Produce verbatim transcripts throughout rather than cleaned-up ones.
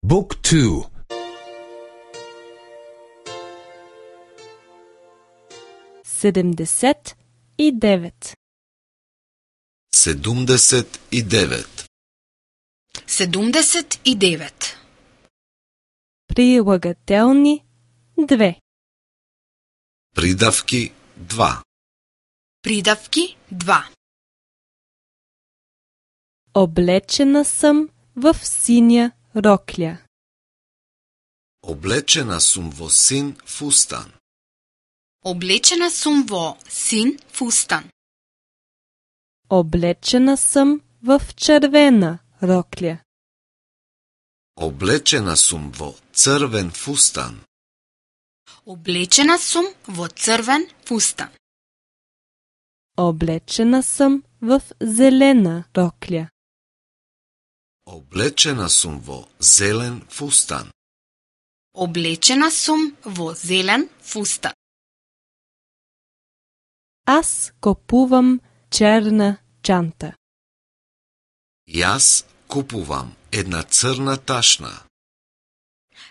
Book two. седемдесет и девет. седумдесет и девет. седумдесет и девет. Прилагателни две. Придавки два. Придавки два. Облечена съм в синя рокля. Облечена сум во син фустан. Облечена сум во син фустан. Облечена съм в червена рокля. Облечена сум во црвен фустан. Облечена сум во црвен фустан. Облечена съм в зелена рокля. Облечена сум во зелен фустан. Облечена сум во зелен фустан. Аз купувам черна чанта. Јас купувам една црна ташна.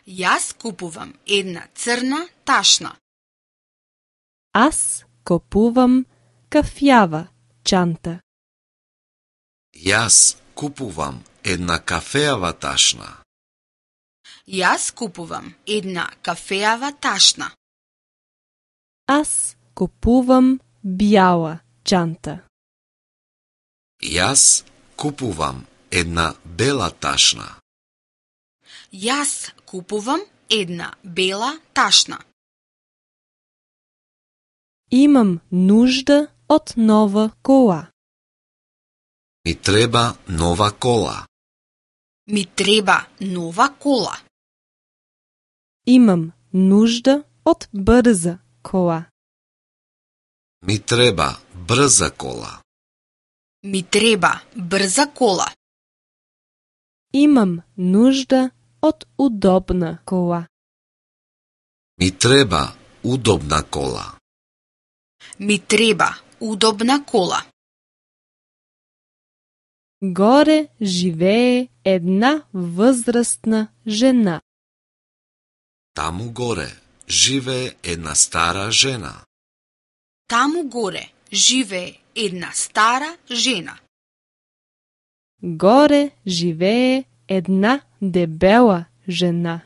Јас купувам една црна ташна. Аз купувам кафјава чанта. Јас купувам една кафеава ташна. Јас купувам една кафеава ташна. Аз купувам бјала чанта. Јас купувам една бела ташна. Јас купувам една бела ташна. Имам нужда од нова кола. Ми треба нова кола. Ми треба нова кола. Имам нужда од брза кола. Ми треба брза кола. Ми треба брза кола. Имам нужда од удобна кола. Ми треба удобна кола. Ми треба удобна кола. Горе живее една возрастна жена. Таму горе живее една стара жена. Таму горе живее една стара жена. Горе живее една дебела жена.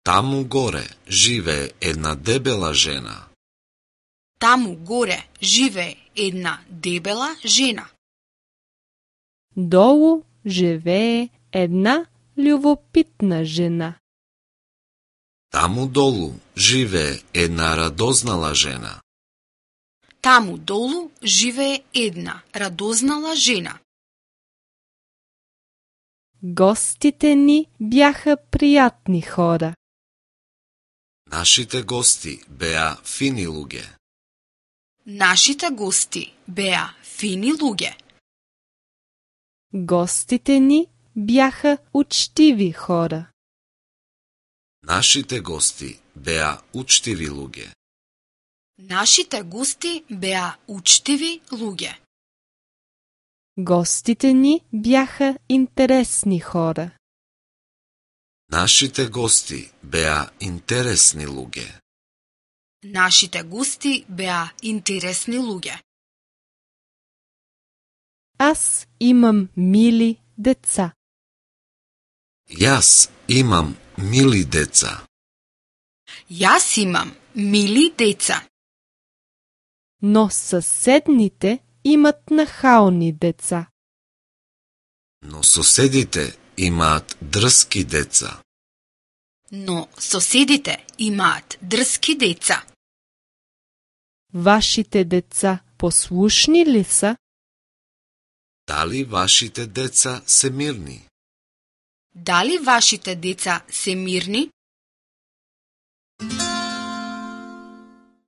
Таму горе живее една дебела жена. Таму горе живее една дебела жена. Долу живее една љубопитна жена. Таму долу живее една радознала жена. Таму долу живее една радознала жена. Гостите ни бяха пријатни хора. Нашите гости беа фини луѓе. Нашите гости беа фини луѓе. Гостите ни бяха учтиви хора. Нашите гости беа учтиви луѓе. Нашите гости беа учтиви луѓе. Гостите ни бяха интересни хора. Нашите гости беа интересни луѓе. Нашите гости беа интересни луѓе. Аз имам мили деца. Јас имам мили деца. Јас имам мили деца. Но съседните имат нахални деца. Но соседите имаат дрски деца. Но соседите имаат дрски деца. Вашите деца послушни ли са? Дали вашите деца се мирни? Дали вашите деца се мирни?